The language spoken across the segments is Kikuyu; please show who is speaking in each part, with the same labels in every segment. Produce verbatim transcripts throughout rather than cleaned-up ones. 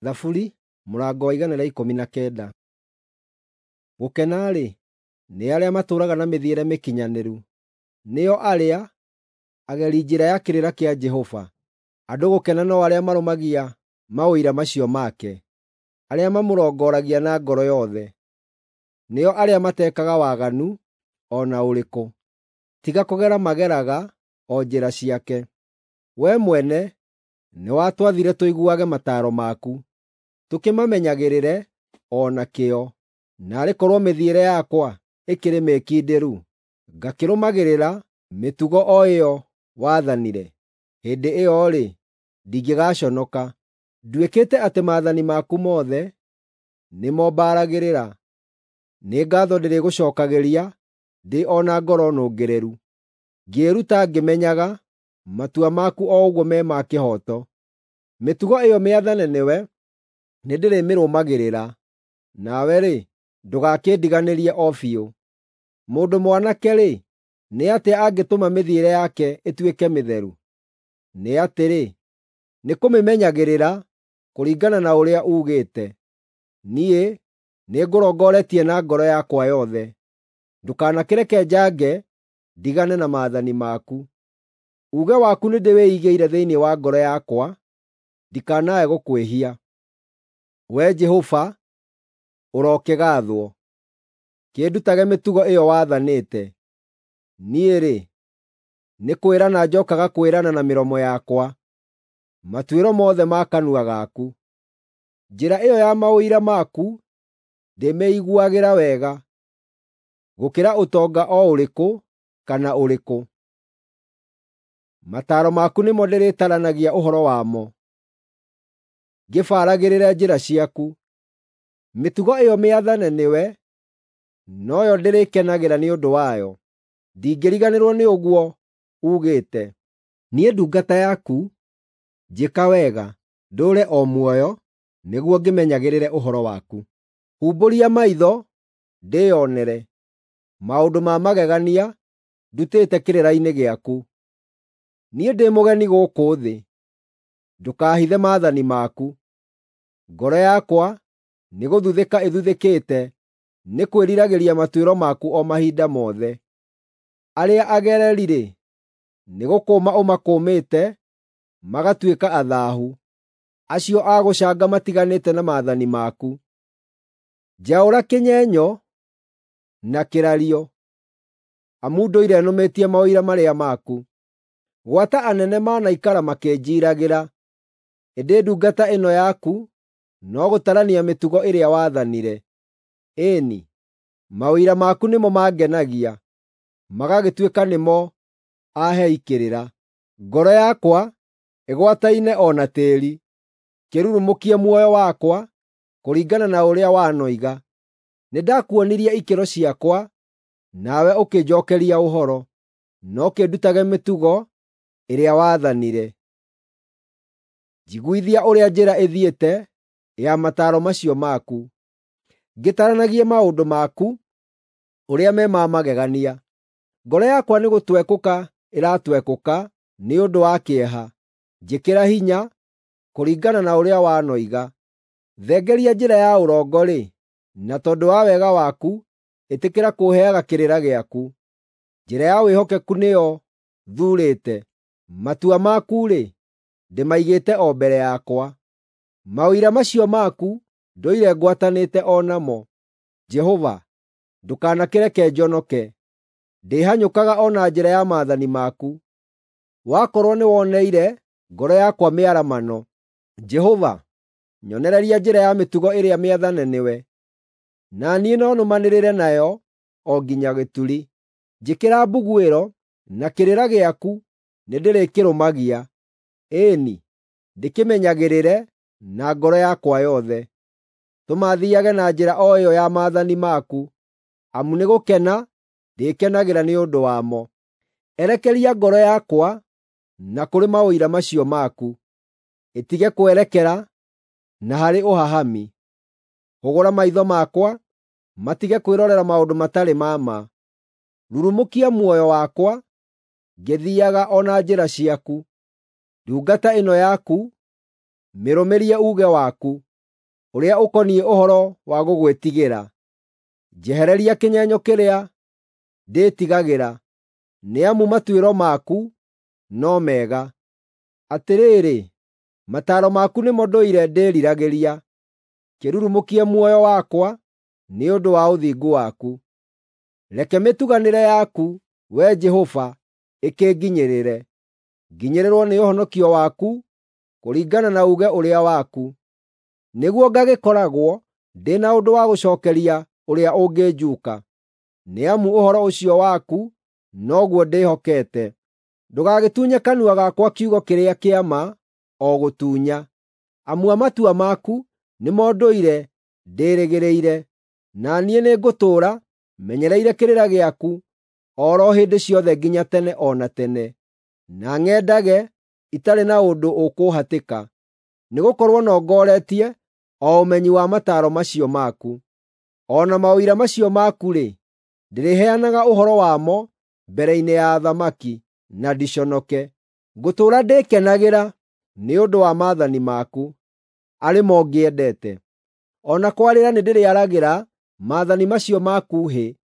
Speaker 1: Thaburi mũrango wa igana rĩa ikũmi na kenda. Gũkena-rĩ, nĩ arĩa matũũraga na mĩthiĩre mĩkinyanĩru, nĩo arĩa ageri njĩra ya kĩrĩra kĩa Jehova. Andũ gũkena no arĩa marũmagia maũira macio make, arĩa mamũrongoragia na ngoro yothe, nĩo arĩa matekaga waganu o na ũrĩkũ, tiga kũgera mageraga o njĩra ciake. Wee mwene nĩwatwathire tũiguage mataaro maku, tũkĩmamenyagĩrĩre o na kĩo. Naarĩ korwo mĩthiĩre yakwa ĩkĩrĩ mĩkindĩru, ngakĩrũmagĩrĩra mĩtugo o ĩyo waathanire! Hĩndĩ ĩyo-rĩ, ndingĩgaconoka. Nduĩkĩte atĩ maathani maku mothe nĩmo mbaragĩrĩra. Nĩ ngaatho ndĩrĩgũcookagĩria ndĩ o na ngoro nũngĩrĩru, ngĩĩruta ngĩmenyaga matua maku o ũguo me ma kĩhooto. Mĩtugo ĩyo mĩathane nĩwe nĩndĩrĩmĩrũmagĩrĩra, nawe-rĩ, ndũgakĩndiganĩrie o biũ. Mũndũ mwanake-rĩ, nĩ atĩa angĩtũma mĩthiĩre yake ĩtuĩke mĩtheru? Nĩ atĩrĩ, nĩ kũmĩmenyagĩrĩra kũringana na ũrĩa uugĩte. Niĩ nĩngũrongoretie na ngoro yakwa yothe; ndũkanakĩreke njange ndigane na maathani maku. Uuge waku nĩndĩwĩigĩire thĩinĩ wa ngoro yakwa, ndikanae gũkwĩhia. Wee Jehova, ũrokĩgaathwo! Kĩndutage mĩtugo ĩyo wathanĩte. Niĩ-rĩ, nĩ kwĩrana njookaga kwĩrana na mĩromo yakwa matuĩro mothe ma kanua gaku. Njĩra ĩyo ya maũira maku ndĩmĩiguagĩra wega, gũkĩra ũtonga o ũrĩkũ kana ũrĩkũ. Mataaro maku nĩmo ndĩrĩtaranagia ũhoro wamo, ngĩbaragĩrĩre njĩra ciaku. Mĩtugo ĩyo mĩathane nĩwe noyo ndĩrĩkenagĩra nĩ ũndũ wayo; ndingĩriganĩrwo nĩ ũguo uugĩte. Niĩ ndungata yaku, njĩka wega, ndũũre o muoyo, nĩguo ngĩmenyagĩrĩre ũhoro waku. Humbũria maitho ndĩĩonere maũndũ ma magegania ndutĩte kĩrĩra-inĩ gĩaku. Niĩ ndĩ mũgeni gũkũ thĩ, ndũkaahithe maathani maku. Ngoro yakwa nĩgũthuthĩka ĩthuthĩkĩte nĩ kwĩriragĩria matuĩro maku o mahinda mothe. Arĩa agereri-rĩ, nĩgũkũũma ũmakũmĩte magatuĩka athaahu, acio a gũcanga matiganĩte na maathani maku. Njaũra kĩnyenyo na kĩrario, amu ndũire nũmĩtie maũira marĩa maku. Gwata anene manaikara makĩnjiiragĩra, ĩndĩ ndungata ĩno yaku no gũtarania mĩtugo ĩrĩa waathanire. Ĩĩ-ni, maũira maku nĩmo mangenagia, magagĩtuĩka nĩmo aahei kĩrĩra. Ngoro yakwa ĩgwataine o na tĩĩri; kĩrurumũkie muoyo wakwa kũringana na ũrĩa wanoiga. Nĩndakuonirie ikĩro ciakwa, nawe ũkĩnjookeria ũhoro; no kĩndutage mĩtugo ĩrĩa waathanire. Njiguithia ũrĩa njĩra ĩthiĩte ya mataaro macio maku, ngĩtaranagie maũndũ maku ũrĩa me ma magegania. Ngoro yakwa nĩgũtwekũka ĩratwekũka nĩ ũndũ wa kĩeha; njĩkĩra hinya kũringana na ũrĩa wanoiga. Thengeria njĩra ya ũrongo-rĩ, na tondũ wa wega waku ĩtĩkĩra kũũheaga kĩrĩra gĩaku. Njĩra ya wĩhokeku nĩyo thuurĩte; matua maku-rĩ, ndĩmaigĩte o mbere yakwa. Maũira macio maku ndũire ngwatanĩte o namo. Jehova, ndũkanakĩreke njonoke; ndĩhanyũkaga o na njĩra ya maathani maku. Wakorwo nĩwoneire ngoro yakwa mĩaramano, Jehova, nyonereria njĩra ya mĩtugo ĩrĩa mĩathane nĩwe, na niĩ no nũmanĩrĩre nayo o nginya gĩturi. Njĩkĩra mbuguĩro, na kĩrĩra gĩaku nĩndĩrĩkĩrũmagia; ĩĩ-ni, ndĩkĩmenyagĩrĩre na ngoro yakwa yothe. Tũma thiiage na njĩra o ĩyo ya maathani maku, amu nĩgũkena ndĩkenagĩra nĩ ũndũ wamo. Erekeria ngoro yakwa na kũrĩ maũira macio maku, ĩtige kwerekera na harĩ ũhahami. Hũgũra maitho makwa matige kwĩrorera maũndũ matarĩ ma ma. Rurumũkia muoyo wakwa ngĩthiiaga o na njĩra ciaku. Ndungata ĩno yaku mĩrũmĩrie uuge waku. ũrĩa ũkoniĩ ũhoro wa gũgwĩtigĩra. Njehereria kĩnyenyo kĩrĩa ndĩĩtigagĩra, nĩ amu matuĩro maku no mega. Atĩrĩrĩ, mataaro maku nĩmo ndũire ndĩĩriragĩria, kĩrurumũkie muoyo wakwa nĩ ũndũ wa ũthingu waku. Reke mĩtuganĩre yaku, Wee Jehova, ĩkĩnginyĩrĩre; nginyĩrĩrwo nĩ ũhonokio waku kũringana na uuge ũrĩa waku, nĩguo ngagĩkoragwo ndĩ na ũndũ wa gũcookeria ũrĩa ũngĩnjuuka, nĩ amu ũhoro ũcio waku noguo ndĩhokete. Ndũgagĩtunye kanua gakwa kiugo kĩrĩa kĩa ma o gũtunya, amu matua maku nĩmo ndũire ndĩĩrĩgĩrĩire, na niĩ nĩngũtũũra menyereire kĩrĩra gĩaku o ro hĩndĩ ciothe nginya tene o na tene, na ng'endage itarĩ na ũndũ ũkũũhatĩka, nĩgũkorwo nongoretie o ũmenyi wa mataaro macio maku. O na maũira macio maku-rĩ, ndĩrĩheanaga ũhoro wamo mbere-inĩ ya athamaki, na ndiconoke. Ngũtũũra ndĩkenagĩra nĩ ũndũ wa maathani maku, arĩ mo ngĩendete. O na kwarĩra nĩndĩrĩaragĩra maathani macio maku hĩ,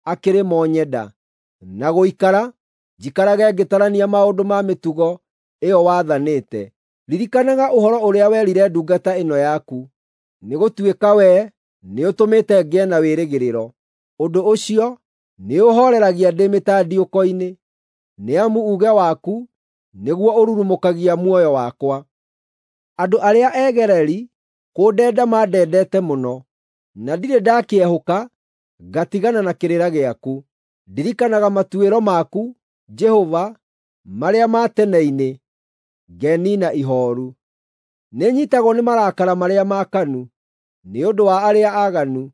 Speaker 1: akĩrĩ mo nyenda, na gũikara njikarage ngĩtarania maũndũ ma mĩtugo ĩyo wathanĩte. Ririkanaga ũhoro ũrĩa werire ndungata ĩno yaku, nĩgũtuĩka wee nĩũtũmĩte ngĩe na wĩrĩgĩrĩro. Ũndũ ũcio nĩũũhooreragia ndĩ mĩtandiũko-inĩ, nĩ amu uuge waku nĩguo ũrurumũkagia muoyo wakwa. Andũ arĩa egereri kũndenda mandendete mũno, na ndirĩ ndakĩehũka ngatigana na kĩrĩra gĩaku. Ndirikanaga matuĩro maku, Jehova, marĩa ma tene-inĩ, ngeniina ihooru. Nĩnyiitagwo nĩ marakara marĩa maakanu nĩ ũndũ wa arĩa aaganu,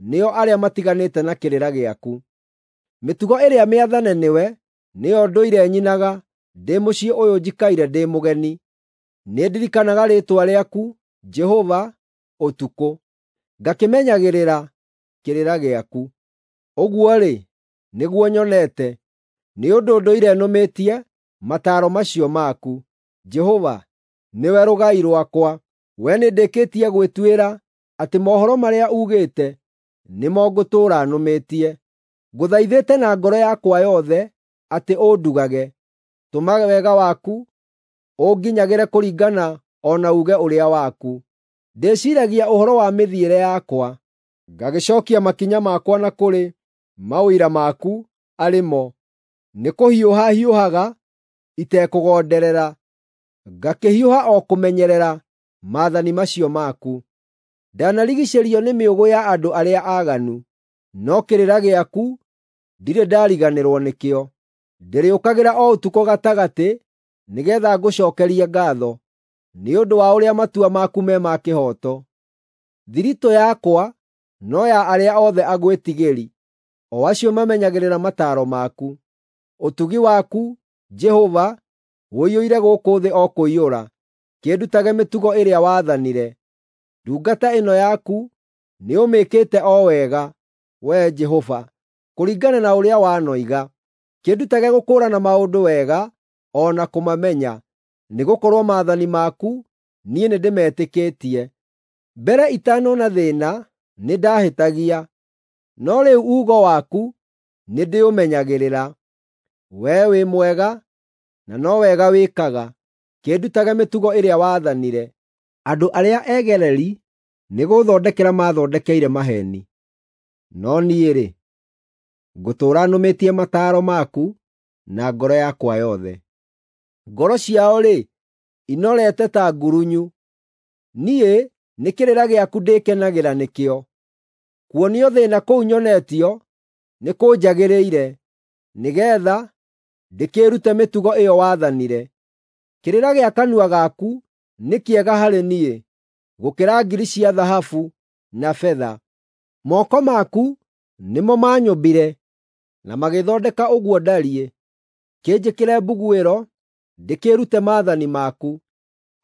Speaker 1: nĩo arĩa matiganĩte na kĩrĩra gĩaku. Mĩtugo ĩrĩa mĩathane nĩwe nĩyo ndũire nyinaga ndĩ mũciĩ ũyũ njikaire ndĩ mũgeni. Nĩndirikanaga rĩĩtwa rĩaku, Jehova, ũtukũ, ngakĩmenyagĩrĩra kĩrĩra gĩaku. Ũguo-rĩ, nĩguo nyonete, nĩ ũndũ ndũire nũmĩtie mataaro macio maku. Jehova, nĩwe rũgai rwakwa; wee nĩndĩkĩtie gwĩtuĩra atĩ mohoro marĩa uugĩte nĩmo ngũtũũra nũmĩtie. Ngũthaithĩte na ngoro yakwa yothe atĩ ũndugage; tũma wega waku ũnginyagĩre kũringana o na uuge ũrĩa waku. Ndĩciiragia ũhoro wa mĩthiĩre yakwa, ngagĩcookia makinya makwa na kũrĩ maũira maku arĩ mo. Nĩkũhiũha hiũhaga itekũgonderera, ngakĩhiũha o kũmenyerera maathani macio maku. Ndanarigiicĩrio nĩ mĩũgũ ya andũ arĩa aaganu, no kĩrĩra gĩaku ndirĩ ndariganĩrwo nĩkĩo. Ndĩrĩũkagĩra o ũtukũ gatagatĩ nĩgeetha ngũcookerie ngaatho nĩ ũndũ wa ũrĩa matua maku me ma kĩhooto. Thiritũ yakwa no ya arĩa othe agwĩtigĩri, o acio mamenyagĩrĩra mataaro maku. Ũtugi waku, Jehova, ũiyũire gũkũ thĩ o kũiyũra; kĩndutage mĩtugo ĩrĩa waathanire. Ndungata ĩno yaku nĩũmĩkĩte o wega, Wee Jehova, kũringana na ũrĩa wanoiga. Kĩndutage gũkũũrana maũndũ wega o na kũmamenya, nĩgũkorwo maathani maku niĩ nĩndĩmetĩkĩtie. Mbere itanona thĩĩna nĩndahĩtagia, no rĩu uugo waku nĩndĩũmenyagĩrĩra. Wee wĩ mwega, na no wega wĩkaga; kĩndutage mĩtugo ĩrĩa waathanire. Andũ arĩa egereri nĩgũũthondekera maathondekeire maheeni, no niĩ-rĩ, ngũtũũra nũmĩtie mataaro maku na ngoro yakwa yothe. Ngoro ciao-rĩ, inorete ta ngurunyu; niĩ nĩ kĩrĩra gĩaku ndĩkenagĩra nĩkĩo. Kuonio thĩĩna kũu nyonetio nĩkũnjagĩrĩire, nĩgeetha ndĩkĩĩrute mĩtugo ĩyo waathanire. Kĩrĩra gĩa kanua gaku nĩ kĩega harĩ niĩ gũkĩra ngiri cia thahabu na betha. Moko maku nĩmo maanyũmbire na magĩthondeka ũguo ndariĩ. Kĩnjĩkĩre mbuguĩro ndĩkĩĩrute maathani maku.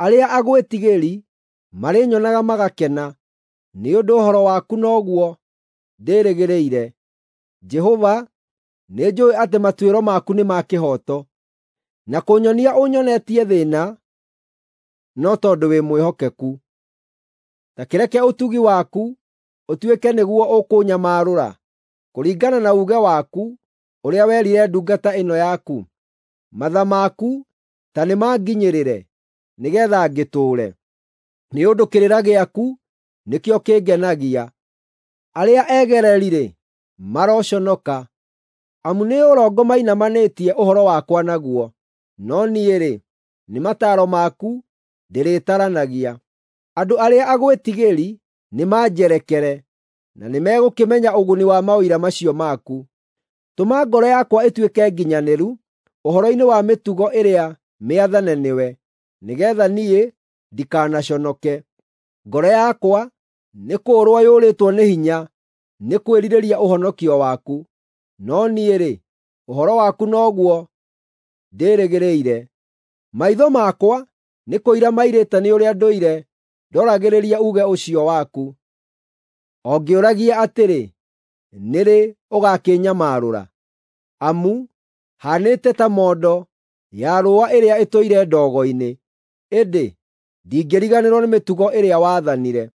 Speaker 1: Arĩa agwĩtigĩri marĩnyonaga magakena, nĩ ũndũ ũhoro waku noguo ndĩĩrĩgĩrĩire. Jehova, nĩnjũũĩ atĩ matuĩro maku nĩ ma kĩhooto, na kũnyonia ũnyonetie thĩĩna no tondũ wĩ mwĩhokeku. Ta kĩreke ũtugi waku ũtuĩke nĩguo ũkũnyamarũra, kũringana na uuge waku ũrĩa werire ndungata ĩno yaku. Matha maku ta nĩmanginyĩrĩre, nĩgeetha ngĩtũũre, nĩ ũndũ kĩrĩra gĩaku nĩkĩo kĩngenagia. Arĩa egereri-rĩ, maroconoka, amu nĩ ũrongo mainamanĩtie ũhoro wakwa naguo, no niĩ-rĩ, nĩ mataaro maku ndĩrĩtaranagia. Andũ arĩa agwĩtigĩri nĩmanjerekere, na nĩmegũkĩmenya ũguni wa maũira macio maku. Tũma ngoro yakwa ĩtuĩke nginyanĩru ũhoro-inĩ wa mĩtugo ĩrĩa mĩathane nĩwe, nĩgeetha niĩ ndikanaconoke. Ngoro yakwa nĩkũũrwo yũrĩtwo nĩ hinya nĩ kwĩrirĩria ũhonokio waku, no niĩ-rĩ, ũhoro waku noguo ndĩrĩgĩrĩire. Maitho makwa nĩ kũira mairĩte nĩ ũrĩa ndũire ndoragĩrĩria uuge ũcio waku. O ngĩũragia atĩrĩ, “Nĩ rĩ ũgakĩnyamarũra?” Amu haanĩte ta mondo ya rũũa ĩrĩa ĩtũire ndogo-inĩ, ĩndĩ ndingĩriganĩrwo nĩ mĩtugo ĩrĩa waathanire.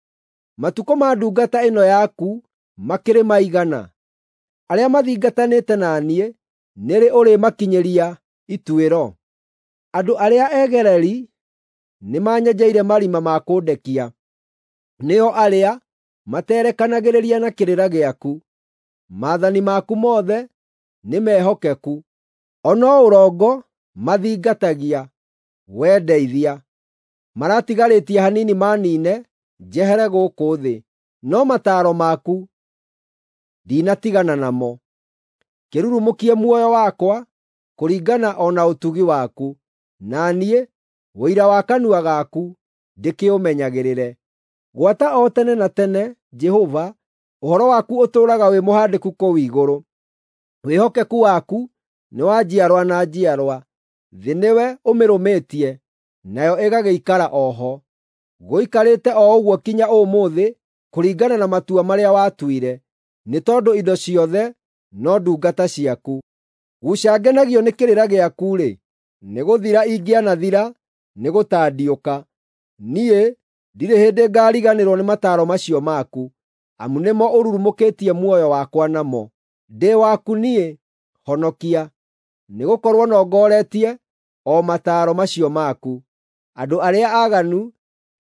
Speaker 1: Matukũ ma ndungata ĩno yaku makĩrĩ maigana? Arĩa mathingatanĩte na niĩ nĩ rĩ ũrĩmakinyĩria ituĩro? Andũ arĩa egereri nĩmanyenjeire marima ma kũndekia, nĩo arĩa materekanagĩrĩria na kĩrĩra gĩaku. Maathani maku mothe nĩmehokeku, o no ũrongo mathingatagia. Wee ndeithia! Maratigarĩtie hanini maniine njehere gũkũ thĩ, no mataaro maku ndinatigana namo. Kĩrurumũkie muoyo wakwa kũringana o na ũtugi waku, na niĩ ũira wa kanua gaku ndĩkĩũmenyagĩrĩre. Gwata o tene na tene, Jehova, ũhoro waku ũtũũraga wĩ mũhandĩku kũu igũrũ. Wĩhokeku waku nĩ wa njiarwa na njiarwa; thĩ nĩwe ũmĩrũmĩtie, nayo ĩgagĩikara o ho. Gũikarĩte o ũguo kinya ũmũthĩ kũringana na matua marĩa watuire, nĩ tondũ indo ciothe no ndungata ciaku. Guca ngenagio nĩ kĩrĩra gĩaku-rĩ, nĩgũthira ingĩanathira nĩgũtandiũka. Niĩ ndirĩ hĩndĩ ngaariganĩrwo nĩ mataaro macio maku, amu nĩmo ũrurumũkĩtie muoyo wakwa namo. Ndĩ waku niĩ, honokia, nĩgũkorwo nongoretie o mataaro macio maku. Andũ arĩa aaganu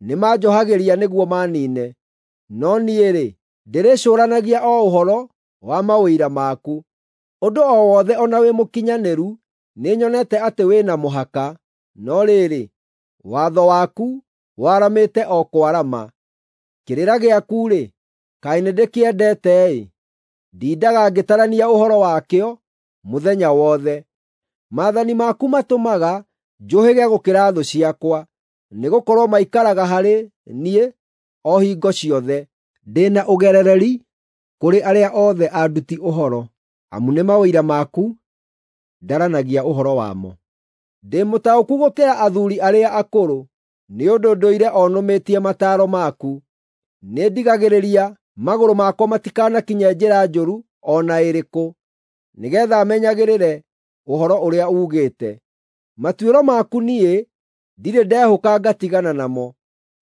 Speaker 1: nĩmanjohagĩria nĩguo maniine, no niĩ-rĩ, ndĩrĩcũũranagia o ũhoro wa maũira maku. Ũndũ o wothe o na wĩ mũkinyanĩru nĩnyonete atĩ wĩ na mũhaka, no rĩrĩ, watho waku waramĩte o kwarama. Kĩrĩra gĩaku-rĩ, kaĩ nĩndĩkĩendete-ĩ! Ndindaga ngĩtarania ũhoro wakĩo mũthenya wothe. Maathani maku matũmaga njũhĩge gũkĩra thũ ciakwa, nĩgũkorwo maikaraga harĩ niĩ o hingo ciothe. Ndĩ na ũgerereri kũrĩ arĩa othe anduti ũhoro, amu nĩ maũira maku ndaranagia ũhoro wamo. Ndĩ mũtaũku gũkĩra athuuri arĩa akũrũ, nĩ ũndũ ndũire o nũmĩtie mataaro maku. Nĩndigagĩrĩria magũrũ makwa matikanakinye njĩra njũru o na ĩrĩkũ, nĩgeetha menyagĩrĩre ũhoro ũrĩa uugĩte. Matuĩro maku niĩ ndirĩ ndehũka ngatigana namo,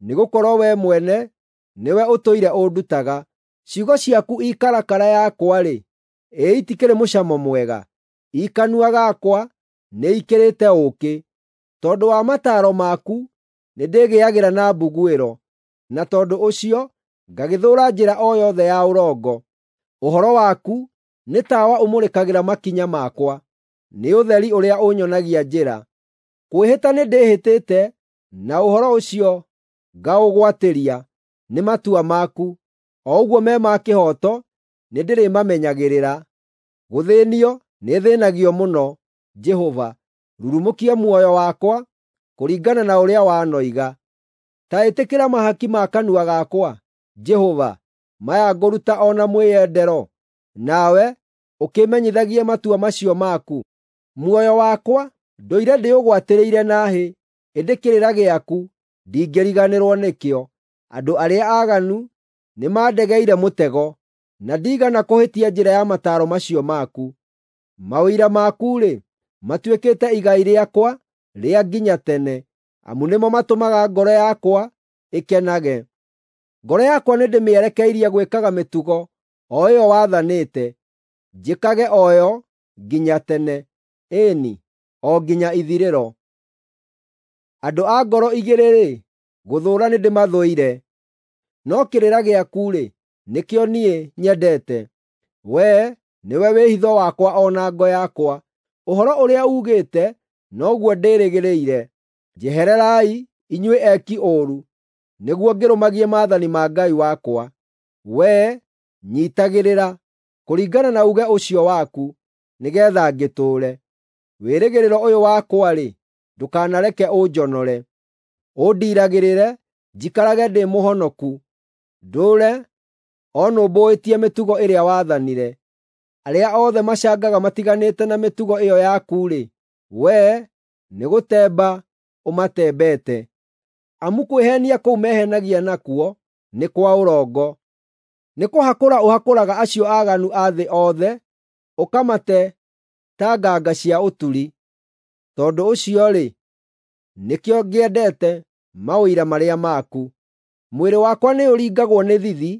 Speaker 1: nĩgũkorwo wee mwene nĩwe ũtũire ũndutaga. Ciugo ciaku i karakara yakwa-rĩ, ĩ itikĩrĩ mũcamo mwega! I kanua gakwa nĩikĩrĩte ũũkĩ. Tondũ wa mataaro maku nĩndĩgĩagĩra na mbuguĩro, na tondũ ũcio ngagĩthũũra njĩra o yothe ya ũrongo. Ũhoro waku nĩ tawa ũmũrĩkagĩra makinya makwa, nĩ ũtheri ũrĩa ũnyonagia njĩra. Kwĩhĩta nĩndĩhĩtĩte na ũhoro ũcio ngaũgwatĩria, nĩ matua maku, o ũguo me ma kĩhooto nĩndĩrĩmamenyagĩrĩra. Gũthĩĩnio nĩthĩĩnagio mũno, Jehova, rurumũkia muoyo wakwa kũringana na ũrĩa wanoiga. Ta ĩtĩkĩra mahaki ma kanua gakwa, Jehova, maya ngũruta o na mwĩyendero, nawe ũkĩmenyithagie matua macio maku. Muoyo wakwa ndũire ndĩũgwatĩrĩire na hĩ, ĩndĩ kĩrĩra gĩaku ndingĩriganĩrwo nĩkĩo. Andũ arĩa aaganu nĩmandegeire mũtego, na ndiigana kũhĩtia njĩra ya mataaro macio maku. Maũira maku-rĩ, matuĩkĩte igai rĩakwa rĩa nginya tene, amu nĩmo matũmaga ngoro yakwa ĩkenage. Ngoro yakwa nĩndĩmĩerekeirie gwĩkaga mĩtugo o ĩyo wathanĩte, njĩkage o yo nginya tene, ĩĩ-ni, o nginya ithirĩro. Andũ a ngoro igĩrĩ-rĩ, gũthũũra nĩndĩmathũire, no kĩrĩra gĩaku-rĩ, nĩkĩo niĩ nyendete. Wee nĩwe wĩhitho wakwa o na ngo yakwa; ũhoro ũrĩa uugĩte noguo ndĩĩrĩgĩrĩire. Njehererai, inyuĩ eki ũũru, nĩguo ngĩrũmagie maathani ma Ngai wakwa. Wee nyiitagĩrĩra, kũringana na uuge ũcio waku, nĩgeetha ngĩtũũre. Wĩrĩgĩrĩro ũyũ wakwa-rĩ, ndũkanareke ũnjonore. Ũndiiragĩrĩre, njikarage ndĩ mũhonoku; ndũũre o nũmbũĩtie mĩtugo ĩrĩa waathanire. Arĩa othe macangaga matiganĩte na mĩtugo ĩyo yaku-rĩ, wee nĩgũtemba ũmatembete. Amu kwĩheenia kũu meheenagia nakuo nĩ kwa ũrongo. Nĩkũhakũra ũhakũraga acio aaganu a thĩ othe, ũkamate ta nganga cia ũturi. Tondũ ũcio-rĩ, nĩkĩo ngĩendete maũira marĩa maku. Mwĩrĩ wakwa nĩũringagwo nĩ thithi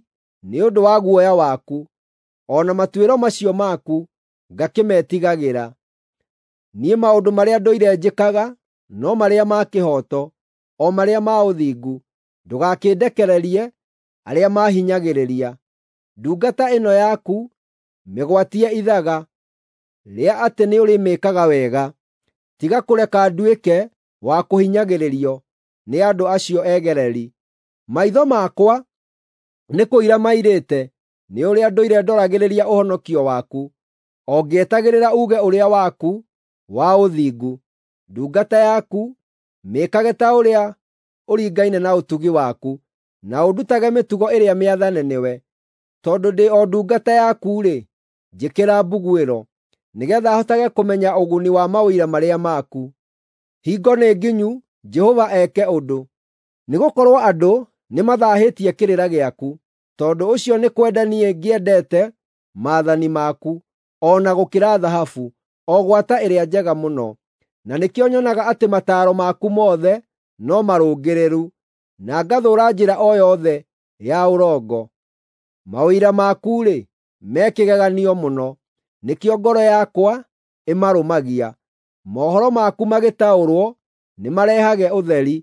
Speaker 1: nĩ ũndũ wa guoya waku, o na matuĩro macio maku ngakĩmetigagĩra. Niĩ maũndũ marĩa ndũire njĩkaga no marĩa ma kĩhooto, o marĩa ma ũthingu. Ndũgakĩndekererie arĩa maahinyagĩrĩria. Ndungata ĩno yaku mĩgwatie ithaga rĩa atĩ nĩũrĩmĩĩkaga wega. Tiga kũreka nduĩke wa kũhinyagĩrĩrio nĩ andũ acio egereri. Maitho makwa nĩ kũira mairĩte nĩ ũrĩa ndũire ndoragĩrĩria ũhonokio waku, o ngĩetagĩrĩra uuge ũrĩa waku wa ũthingu. Ndungata yaku mĩĩkage ta ũrĩa ũringaine na ũtugi waku, na ũndutage mĩtugo ĩrĩa mĩathane nĩwe. Tondũ ndĩ o ndungata yaku-rĩ, njĩkĩra mbuguĩro, nĩgeetha hotage kũmenya ũguni wa maũira marĩa maku. Hingo nĩ nginyu Jehova eke ũndũ, nĩgũkorwo andũ nĩmathaahĩtie kĩrĩra gĩaku. Tondũ ũcio nĩ kwenda niĩ ngĩendete maathani maku, o na gũkĩra thahabu, o gwata ĩrĩa njega mũno. Na nĩkĩo nyonaga atĩ mataaro maku mothe no marũngĩrĩru, na ngathũũra njĩra o yothe ya ũrongo. Maũira maku-rĩ, me kĩgeganio mũno, nĩkĩo ngoro yakwa ĩmarũmagia. Mohoro maku magĩtaũrwo nĩmarehage ũtheri;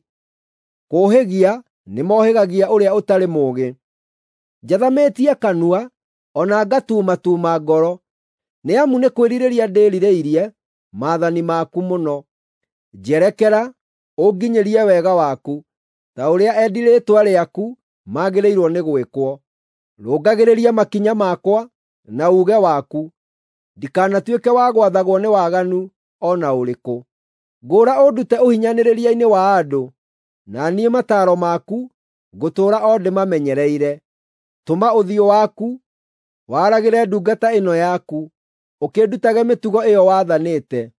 Speaker 1: kũũhĩgia nĩmohĩgagia ũrĩa ũtarĩ mũũgĩ. Njathamĩtie kanua o na ngatuumatuuma ngoro, nĩ amu nĩ kwĩrirĩria ndĩĩrirĩirie maathani maku mũno. Njerekera, ũnginyĩrie wega waku, ta ũrĩa endi rĩĩtwa rĩaku magĩrĩirwo nĩ gwĩkwo. Rũngagĩrĩria makinya makwa na uuge waku, ndikanatuĩke wa gwathagwo nĩ waganu o na ũrĩkũ. Ngũũra ũndute ũhinyanĩrĩria-inĩ wa andũ, na niĩ mataaro maku ngũtũũra o ndĩmamenyereire. Tũma ũthiũ waku waragĩre ndungata ĩno yaku, ũkĩndutage mĩtugo ĩyo wathanĩte.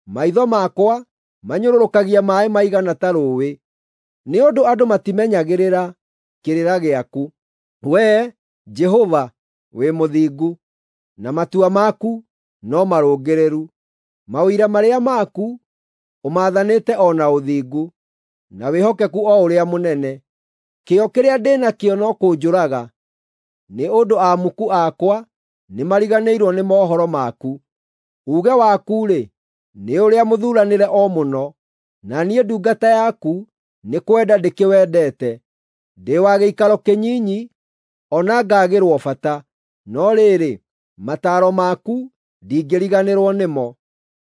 Speaker 1: Maitho makwa manyũrũrũkagia maaĩ maigana ta rũũĩ, nĩ ũndũ andũ matimenyagĩrĩra kĩrĩra gĩaku. Wee, Jehova, wĩ mũthingu, na matua maku no marũngĩrĩru. Maũira marĩa maku ũmaathanĩte o na ũthingu, na wĩhokeku o ũrĩa mũnene. Kĩyo kĩrĩa ndĩ nakĩo no kũnjũraga, nĩ ũndũ amuku akwa nĩmariganĩirwo nĩ mohoro maku. Uuge waku-rĩ, nĩ ũrĩa mũthuuranĩre o mũno, na niĩ ndungata yaku nĩ kwenda ndĩkĩwendete. Ndĩ wa gĩikaro kĩnyinyi o na ngaagĩrwo bata, no rĩrĩ, mataaro maku ndingĩriganĩrwo nĩmo.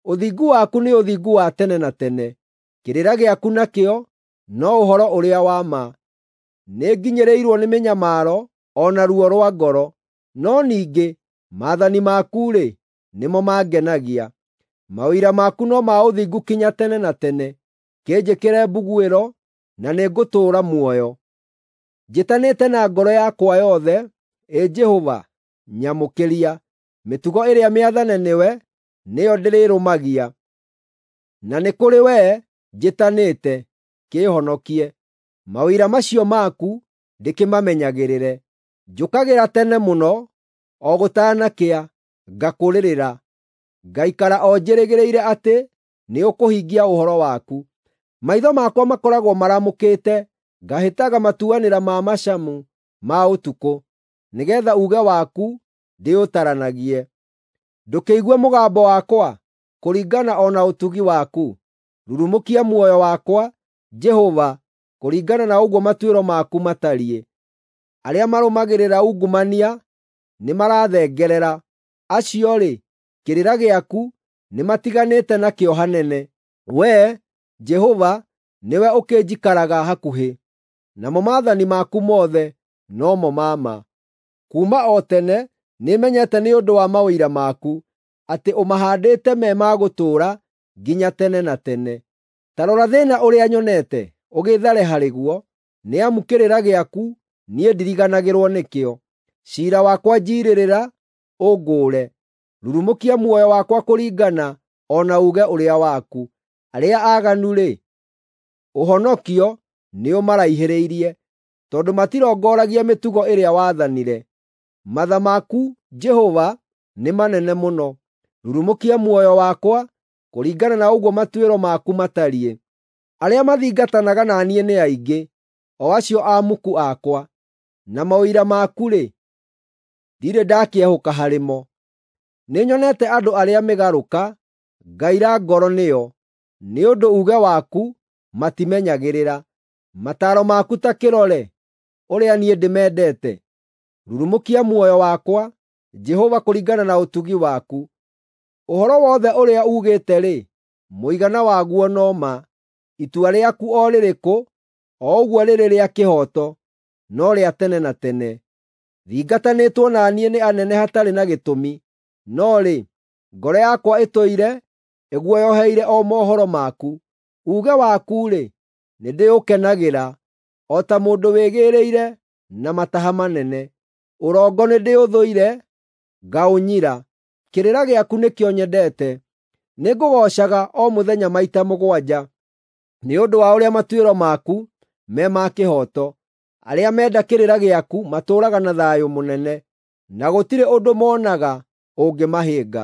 Speaker 1: Ũthingu waku nĩ ũthingu wa tene na tene, kĩrĩra gĩaku nakĩo no ũhoro ũrĩa wa ma. Nĩnginyĩrĩirwo nĩ mĩnyamaro o na ruo rwa ngoro, no ningĩ maathani maku-rĩ, nĩmo mangenagia. Maũira maku no ma ũthingu kinya tene na tene; kĩnjĩkĩre mbuguĩro na nĩngũtũũra muoyo. Njĩtanĩte na ngoro yakwa yothe, Ĩ Jehova, nyamũkĩria. Mĩtugo ĩrĩa mĩathane nĩwe nĩyo ndĩrĩrũmagia, na nĩ kũrĩ wee njĩtanĩte, kĩĩhonokie. Maũira macio maku ndĩkĩmamenyagĩrĩre. Njũkagĩra tene mũno o gũtanakĩa, ngakũrĩrĩra, ngaikara o njĩrĩgĩrĩire atĩ nĩũkũhingia ũhoro waku. Maitho makwa makoragwo maramũkĩte, ngahĩtaga matuanĩra ma macamu ma ũtukũ, nĩgeetha uuge waku ndĩũtaranagie. Ndũkĩigue mũgambo wakwa kũringana o na ũtugi waku; rurumũkia muoyo wakwa, Jehova, kũringana na ũguo matuĩro maku matariĩ. Arĩa marũmagĩrĩra ungumania nĩmarathengerera, acio-rĩ, kĩrĩra gĩaku nĩmatiganĩte nakĩo hanene. Wee, Jehova, nĩwe ũkĩnjikaraga hakuhĩ, namo maathani maku mothe no mo ma ma. Kuuma o tene nĩmenyete nĩ ũndũ wa maũira maku atĩ ũmahaandĩte me ma gũtũũra nginya tene na tene. Ta rora thĩĩna ũrĩa nyonete ũgĩĩthare harĩ guo, nĩ amu kĩrĩra gĩaku niĩ ndiriganagĩrwo nĩkĩo. Ciira wakwa njiirĩrĩra, ũngũũre; rurumũkia muoyo wakwa kũringana o na uuge ũrĩa waku. Arĩa aaganu-rĩ, ũhonokio nĩũmaraihĩrĩirie, tondũ matirongoragia mĩtugo ĩrĩa waathanire. Matha maku, Jehova, nĩ manene mũno; rurumũkia muoyo wakwa kũringana na ũguo matuĩro maku matariĩ. Arĩa mathingatanaga na niĩ nĩ aingĩ, o acio amuku akwa, na maũira maku-rĩ, ndirĩ ndakĩehũka harĩ mo. Nĩnyonete andũ arĩa mĩgarũka, ngaira ngoro nĩo, nĩ ũndũ uuge waku matimenyagĩrĩra. Mataaro maku ta kĩrore, ũrĩa niĩ ndĩmendete. Rurumũkia muoyo wakwa, Jehova, kũringana na ũtugi waku. Ũhoro wothe ũrĩa uugĩte-rĩ, mũigana waguo no ma. Itua rĩaku o rĩrĩkũ, o ũguo rĩrĩ rĩa kĩhooto, no rĩa tene na tene. Thingatanĩtwo na niĩ nĩ anene hatarĩ na gĩtũmi, no rĩ, ngoro yakwa ĩtũire ĩguoyoheire o mohoro maku. Uuge waku-rĩ, nĩndĩũkenagĩra o ta mũndũ wĩgĩĩrĩire na mataha manene. Ũrongo nĩndĩũthũire, ngaũnyira. Kĩrĩra gĩaku nĩkĩo nyendete; nĩngũgoocaga o mũthenya maita mũgwanja, nĩ ũndũ wa ũrĩa matuĩro maku me ma kĩhooto. Arĩa menda kĩrĩra gĩaku matũũraga na thayũ mũnene, na gũtirĩ ũndũ moonaga ũngĩmahĩnga.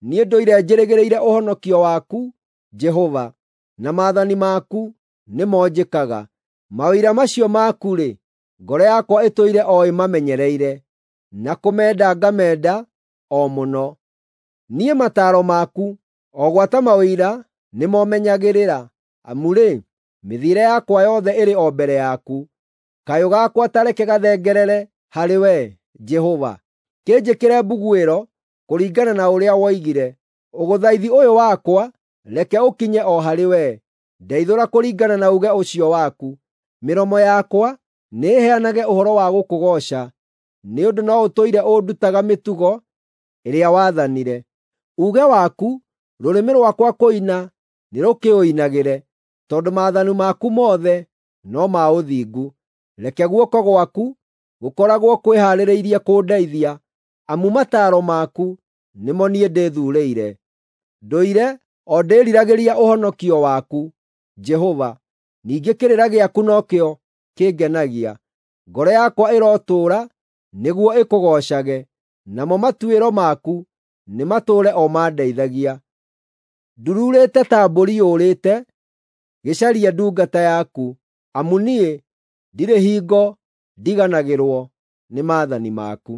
Speaker 1: Niĩ ndũire njĩrĩgĩrĩire ũhonokio waku, Jehova, na maathani maku nĩmo njĩkaga. Maũira macio maku-rĩ, ngoro yakwa ĩtũire o ĩmamenyereire, na kũmenda ngamenda o mũno. Niĩ mataaro maku, o gwata maũira nĩmo menyagĩrĩra, amu-rĩ, mĩthiĩre yakwa yothe ĩrĩ o mbere yaku. Kayũ gakwa ta reke gathengerere harĩ wee, Jehova; kĩnjĩkĩre mbuguĩro kũringana na ũrĩa woigire. Ũgũthaithi ũyũ wakwa reke ũkinye o harĩ wee; ndeithũra kũringana na uuge ũcio waku. Mĩromo yakwa nĩĩheanage ũhoro wa gũkũgooca, nĩ ũndũ no ũtũire ũndutaga mĩtugo ĩrĩa waathanire. Uuge waku rũrĩmĩ rwakwa kũina nĩrũkĩũinagĩre, tondũ maathani maku mothe no ma ũthingu. Reke guoko gwaku gũkoragwo kwĩhaarĩirie kũndeithia, amu mataaro maku nĩmo niĩ ndĩthuurĩire. Ndũire o ndĩĩriragĩria ũhonokio waku, Jehova, ningĩ kĩrĩra gĩaku nokĩo kĩngenagia. Ngoro yakwa ĩrotũũra nĩguo ĩkũgoocage, namo matuĩro maku nĩmatũũre o mandeithagia. Ndururĩte ta mbũri yũrĩte, gĩcarie ndungata yaku, amu niĩ ndirĩ hingo ndiganagĩrwo nĩ maathani maku.